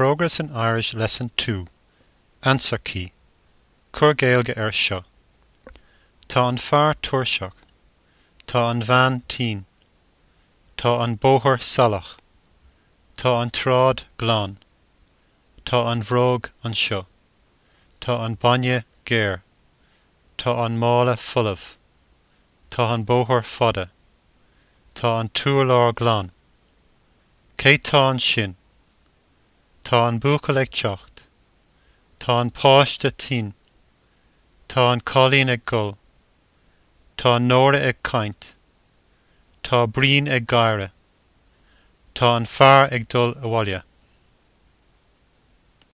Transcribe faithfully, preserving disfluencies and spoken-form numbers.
Progress in Irish Lesson two. Answer Key. Cuir Gaeilge air seo. Tá an fear tuirseach. Tá an bhean tinn. Tá an bóthar salach. Tá an tsráid glan. Tá an bhróg anseo. Tá an bainne géar. Tá an mála folamh. Tá an bóthar fada. Tá an t-urlár glan. Cé tá ansin? Tá an buachaill ag teacht. Tá an páiste tinn. Tá an cailín ag gol. Tá Nóra ag caint. Tá Brian ag gáire. Tá an fear ag dul abhaile.